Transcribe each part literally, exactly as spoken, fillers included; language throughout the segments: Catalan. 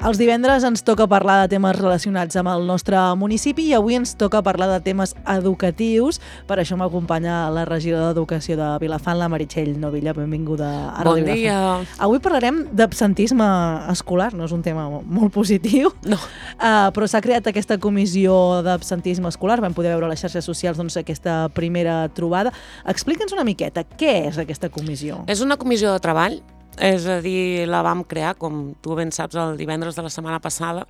Els divendres ens toca parlar de temes relacionats amb el nostre municipi i avui ens toca parlar de temes educatius. Per això m'acompanya la regidora d'Educació de Vilafant, la Meritxell Novilla. Benvinguda a Ràdio Bon dia. Vilafant. Avui parlarem d'absentisme escolar, no és un tema molt positiu, no. uh, però s'ha creat aquesta comissió d'absentisme escolar. Vam poder veure a les xarxes socials doncs, aquesta primera trobada. Explica'ns una miqueta, què és aquesta comissió? És una comissió de treball. És a dir, la vam crear, com tu ben saps, el divendres de la setmana passada,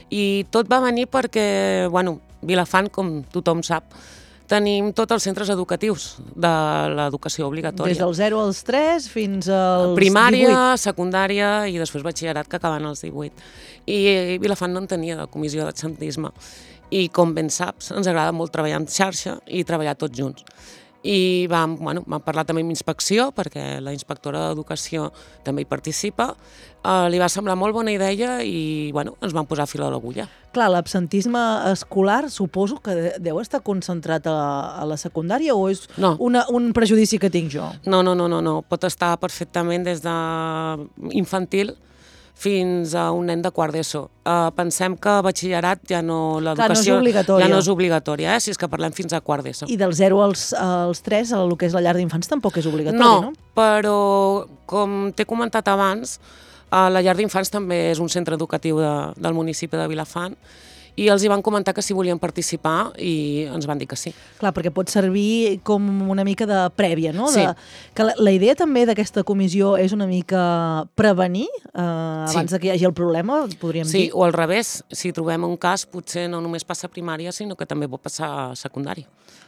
i tot va venir perquè, bueno, Vilafant, com tothom sap, tenim tots els centres educatius de l'educació obligatòria. Des del zero als tres fins als Primària, divuit. secundària i després batxillerat, que acaben als divuit. I Vilafant no en tenia de comissió d'absentisme. I com ben saps, ens agrada molt treballar en xarxa i treballar tots junts. I vam, bueno, vam parlar també amb inspecció, perquè la inspectora d'Educació també hi participa. Uh, li va semblar molt bona idea i bueno, ens vam posar fil a l'agulla. Clar, l'absentisme escolar suposo que deu estar concentrat a, a la secundària o és no. una, un prejudici que tinc jo? No, no, no, no, no. Pot estar perfectament des de infantil fins a un nen de quart d'ESO. Uh, pensem que batxillerat ja no, l'educació no ja no és obligatòria, eh? Si és que parlem fins a quart d'ESO. I del zero als, als tres, el que és la llar d'infants, tampoc és obligatori, no? No, però com t'he comentat abans, uh, la llar d'infants també és un centre educatiu de, del municipi de Vilafant, i els hi van comentar que si volien participar i ens van dir que sí. Clar, perquè pot servir com una mica de prèvia, no? Sí. De, que la, la idea també d'aquesta comissió és una mica prevenir eh, abans sí. de que hi hagi el problema, podríem sí, dir. Sí, o al revés, si trobem un cas, potser no només passa a primària, sinó que també pot passar a secundària.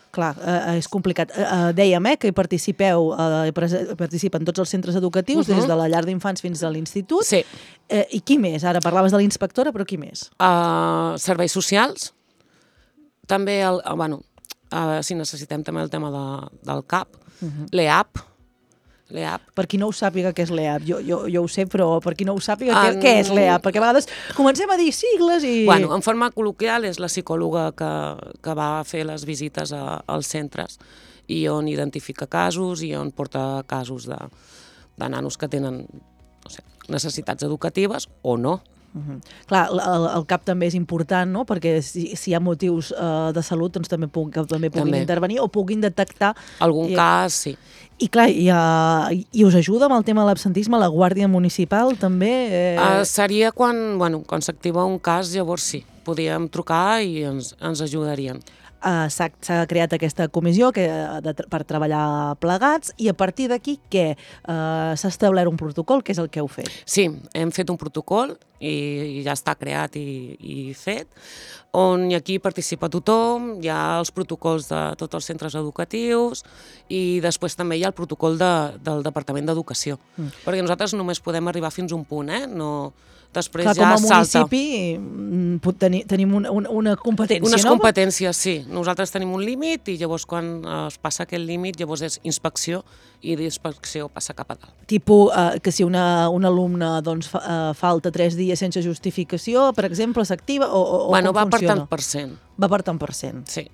Clar, eh, és complicat. Eh, dèiem eh, que hi participeu, eh, participen tots els centres educatius, uh-huh. des de la llar d'infants fins a l'institut. Sí. Eh, I qui més? Ara parlaves de la inspectora, però qui més? Uh, serveis socials. També, el, uh, bueno, uh, si necessitem també el tema de, del C A P. Uh-huh. L'E A P. L'E A P. Per qui no ho sàpiga què és l'E A P, jo, jo, jo ho sé, però per qui no ho sàpiga, en... què, què és l'E A P? Perquè a vegades comencem a dir sigles i... Bueno, en forma col·loquial és la psicòloga que, que va fer les visites a, als centres i on identifica casos i on porta casos de, de nanos que tenen no sé, necessitats educatives o no. Uh-huh. Clar, el, el C A P també és important, no? Perquè si, si hi ha motius uh, de salut, doncs també, puc, també puguin també. intervenir o puguin detectar... Algun i, cas, sí. I clar, i, uh, i us ajuda amb el tema de l'absentisme, la Guàrdia Municipal també? Eh... Uh, seria quan, bueno, quan s'activa un cas, llavors sí, podíem trucar i ens, ens ajudarien. Uh, s'ha, s'ha creat aquesta comissió que, de, per treballar plegats i a partir d'aquí què? Uh, s'ha establert un protocol, que és el que heu fet? Sí, hem fet un protocol i, i ja està creat i, i fet, on aquí participa tothom, hi ha els protocols de tots els centres educatius i després també hi ha el protocol de, del Departament d'Educació, mm. perquè nosaltres només podem arribar fins a un punt, eh? No... Després Clar, ja com a salta. municipi tenir, tenim una, una, una competència, Unes no? competències, sí. Nosaltres tenim un límit i llavors quan es passa aquest límit llavors és inspecció i d'inspecció passa cap a dalt. Tipo eh, que si una, un alumne doncs, fa, eh, falta tres dies sense justificació, per exemple, s'activa o, o, bueno, o com va funciona? per tant per cent. Va per tant per cent. Sí.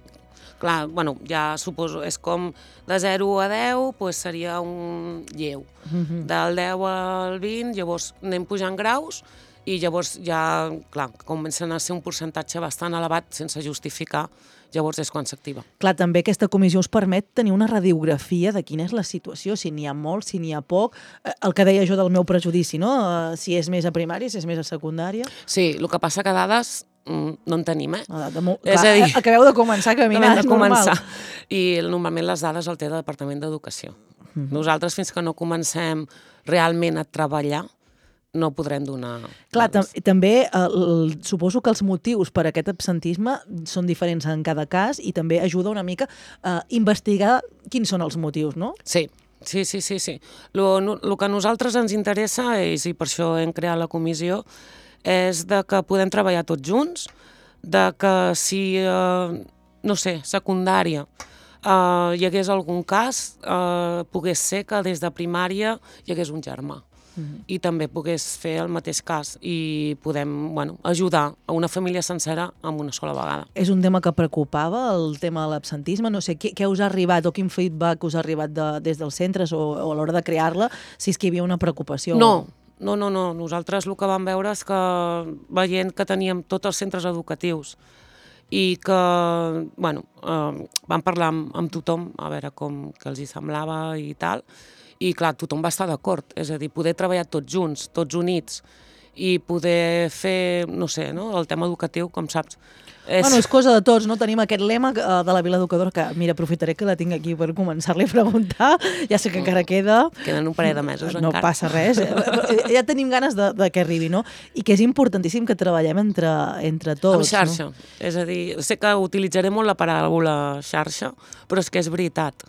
Clar, bueno, ja suposo, és com de zero a deu, doncs seria un lleu. Uh-huh. Del deu al vint, llavors anem pujant graus i llavors ja, clar, comencen a ser un percentatge bastant elevat sense justificar, llavors és quan s'activa. Clar, també aquesta comissió us permet tenir una radiografia de quina és la situació, si n'hi ha molt, si n'hi ha poc, el que deia jo del meu prejudici, no? Si és més a primària, si és més a secundària. Sí, el que passa que dades no en tenim, eh? Ah, de mo- és clar, a dir, acabeu de començar a caminar, de és normal. començar. I normalment les dades el té el Departament d'Educació. Mm-hmm. Nosaltres, fins que no comencem realment a treballar, no podrem donar... Clar, tam també eh, el, suposo que els motius per a aquest absentisme són diferents en cada cas i també ajuda una mica a investigar quins són els motius, no? Sí, sí, sí, sí. sí. Lo, no, lo que a nosaltres ens interessa, és, i per això hem creat la comissió, és de que podem treballar tots junts, de que si, eh, no sé, secundària, eh, hi hagués algun cas, eh, pogués ser que des de primària hi hagués un germà. Uh-huh. I també pogués fer el mateix cas i podem bueno, ajudar a una família sencera amb una sola vegada. És un tema que preocupava, el tema de l'absentisme? No sé, què, què us ha arribat o quin feedback us ha arribat de, des dels centres o, o a l'hora de crear-la, si és que hi havia una preocupació? No, no, no, no. Nosaltres el que vam veure és que, veient que teníem tots els centres educatius i que, bueno, eh, vam parlar amb, amb tothom, a veure com que els hi semblava i tal, i clar, tothom va estar d'acord, és a dir, poder treballar tots junts, tots units, i poder fer, no sé, no? El tema educatiu, com saps. És... Bueno, és cosa de tots, no? Tenim aquest lema de la Vila Educadora, que, mira, aprofitaré que la tinc aquí per començar-li a preguntar, ja sé que encara queda... Queden un parell de mesos no encara. No passa res, ja tenim ganes de, de que arribi, no? I que és importantíssim que treballem entre, entre tots. Amb xarxa, no? És a dir, sé que utilitzaré molt la paraula xarxa, però és que és veritat,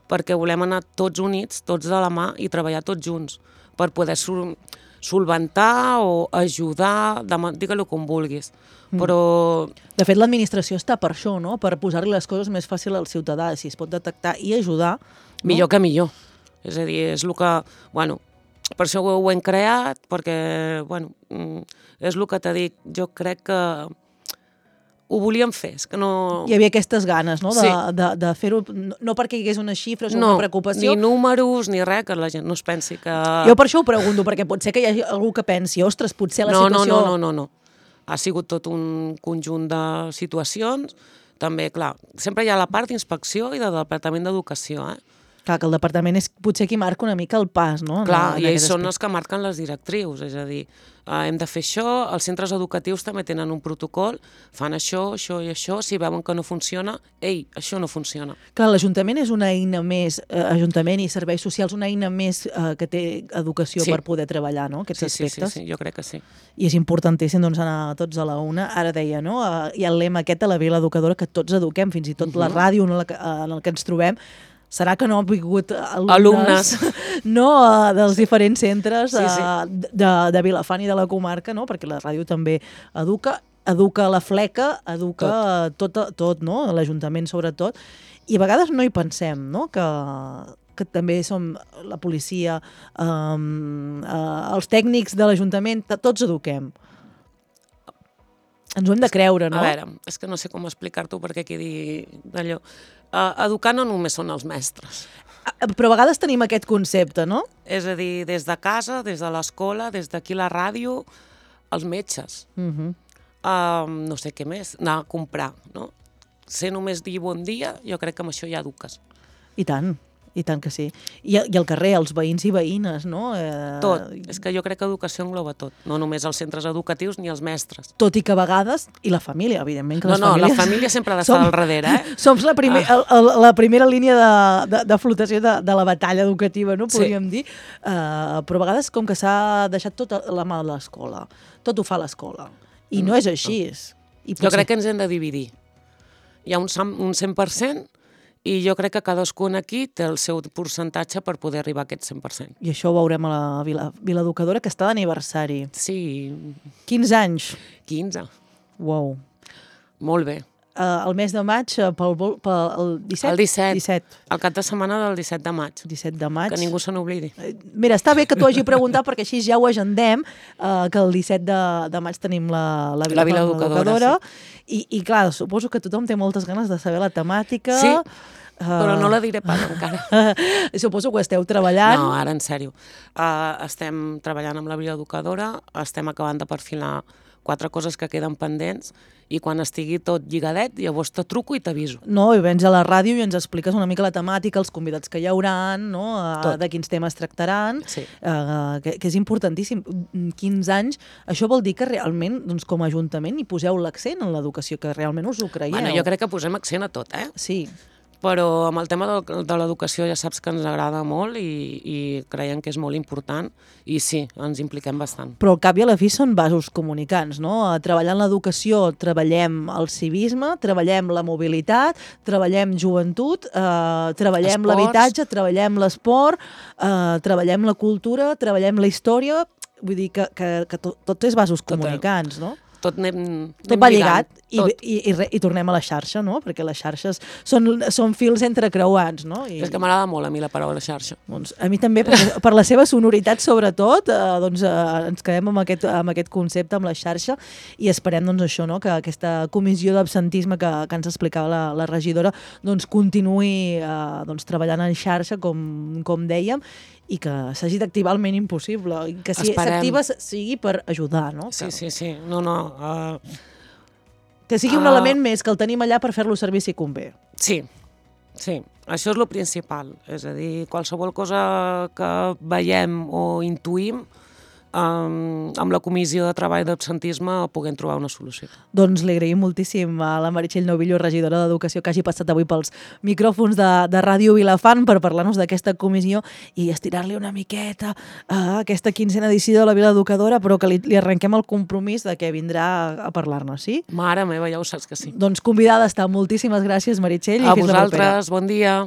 perquè volem anar tots units, tots de la mà i treballar tots junts, per poder sol solventar o ajudar, digue-lo com vulguis, però... De fet, l'administració està per això, no? Per posar-li les coses més fàcil al ciutadà, si es pot detectar i ajudar. No? Millor que millor. És a dir, és el que... Bueno, per això ho, ho hem creat, perquè, bueno, és el que t'he dit, jo crec que ho volíem fer, és que no... Hi havia aquestes ganes, no?, de, sí. de, de fer-ho, no, no perquè hi hagués unes xifres o no, una preocupació. Ni números, ni res, que la gent no es pensi que... Jo per això ho pregunto, perquè pot ser que hi hagi algú que pensi, ostres, potser la no, situació... No, no, no, no, no. Ha sigut tot un conjunt de situacions. També, clar, sempre hi ha la part d'inspecció i del Departament d'Educació, eh? Clar, que el departament és potser qui marca una mica el pas, no? Clar, en, en i ells són els que marquen les directrius, és a dir, eh, hem de fer això, els centres educatius també tenen un protocol, fan això, això i això, si veuen que no funciona, ei, això no funciona. Clar, l'Ajuntament és una eina més, eh, Ajuntament i serveis socials, una eina més eh, que té educació sí. per poder treballar, no?, aquests sí, aspectes. Sí, sí, sí, jo crec que sí. I és importantíssim, doncs, anar tots a la una. Ara deia, no?, eh, hi ha el lema aquest a la Vila Educadora, que tots eduquem, fins i tot uh-huh. la ràdio en el, que, en el que ens trobem. Serà que no han vingut alumnes, alumnes. no, dels diferents centres sí, sí. de, de Vilafant i de la comarca, no? Perquè la ràdio també educa, educa la fleca, educa tot, tot, tot no? L'Ajuntament sobretot, i a vegades no hi pensem, no? Que, que també som la policia, um, uh, els tècnics de l'Ajuntament, tots eduquem. Ens ho hem de creure, no? A veure, és que no sé com explicar-t'ho perquè quedi d'allò. Uh, educar no només són els mestres. Però a vegades tenim aquest concepte, no? És a dir, des de casa, des de l'escola, des d'aquí la ràdio, els metges. Uh-huh. uh, no sé què més, anar a comprar, no? Ser només dir bon dia, jo crec que amb això ja eduques. I tant. I tant que sí. I, i al carrer, els veïns i veïnes, no? Eh... Tot. És que jo crec que educació engloba tot. No només els centres educatius ni els mestres. Tot i que a vegades... I la família, evidentment. Que no, les no, famílies... la família sempre ha d'estar al darrere, eh? Som la, primer, ah. el, la primera línia de, de, de flotació de, de la batalla educativa, no? Podríem sí. dir. Uh, però a vegades com que s'ha deixat tota la mà de l'escola. Tot ho fa l'escola. I mm. no és així. I potser... Jo crec que ens hem de dividir. Hi ha un, un cent per cent i jo crec que cadascun aquí té el seu percentatge per poder arribar a aquest cent per cent. I això ho veurem a la Vila, Vila Educadora, que està d'aniversari. Sí. quinze anys. quinze. Uau. Molt bé. Uh, el mes de maig, pel, pel el disset? El disset. disset. El cap de setmana del disset de maig. disset de maig. Que ningú se n'oblidi. Mira, està bé que t'ho hagi preguntat perquè així ja ho agendem, uh, que el disset de, de maig tenim la, la Vila, la Vila Educadora. Educadora sí. I, I clar, suposo que tothom té moltes ganes de saber la temàtica. Sí, uh, però no la diré pas encara. Suposo que ho esteu treballant. No, ara en sèrio. Uh, estem treballant amb la Vila Educadora, estem acabant de perfilar quatre coses que queden pendents i quan estigui tot lligadet, llavors te truco i t'aviso. No, i vens a la ràdio i ens expliques una mica la temàtica, els convidats que hi hauran, no? Uh, de quins temes tractaran, sí. uh, que, que és importantíssim. quinze anys, això vol dir que realment, doncs, com a Ajuntament, hi poseu l'accent en l'educació, que realment us ho creieu. Bueno, jo crec que posem accent a tot, eh? Sí. Però amb el tema de, de l'educació ja saps que ens agrada molt i, i creiem que és molt important i sí, ens impliquem bastant. Però al cap i a la fi són vasos comunicants, no? Treballant l'educació, treballem el civisme, treballem la mobilitat, treballem joventut, eh, treballem l'habitatge, treballem l'esport, eh, treballem la cultura, treballem la història, vull dir que, que, que tot, tot és vasos comunicants, no? Tot, anem, tot anem va lligat i, tot. i, i, i tornem a la xarxa, no? Perquè les xarxes són, són fils entrecreuats, no? I, és que m'agrada molt a mi la paraula xarxa. Doncs a mi també, per, per la seva sonoritat sobretot, eh, doncs, eh, ens quedem amb aquest, amb aquest concepte, amb la xarxa, i esperem doncs, això, no? Que aquesta comissió d'absentisme que, que ens explicava la, la regidora doncs, continuï eh, doncs, treballant en xarxa, com, com dèiem, i que s'hagi d'activar el mínim possible, i que si s'activa sigui per ajudar, no? Sí, sí, sí. No, no. Uh, que sigui un uh, element més, que el tenim allà per fer-lo servir si convé. Sí, sí. Això és el principal. És a dir, qualsevol cosa que veiem o intuïm, Um, amb la comissió de treball d'absentisme puguem trobar una solució. Doncs li agraïm moltíssim a la Meritxell Novillo, regidora d'Educació, que hagi passat avui pels micròfons de, de Ràdio Vilafant per parlar-nos d'aquesta comissió i estirar-li una miqueta a aquesta quinzena edició de la Vila Educadora, però que li, li arrenquem el compromís de que vindrà a parlar-nos, sí? Mare meva, ja ho saps que sí. Doncs convidada està. Moltíssimes gràcies, Meritxell. A vosaltres, bon dia.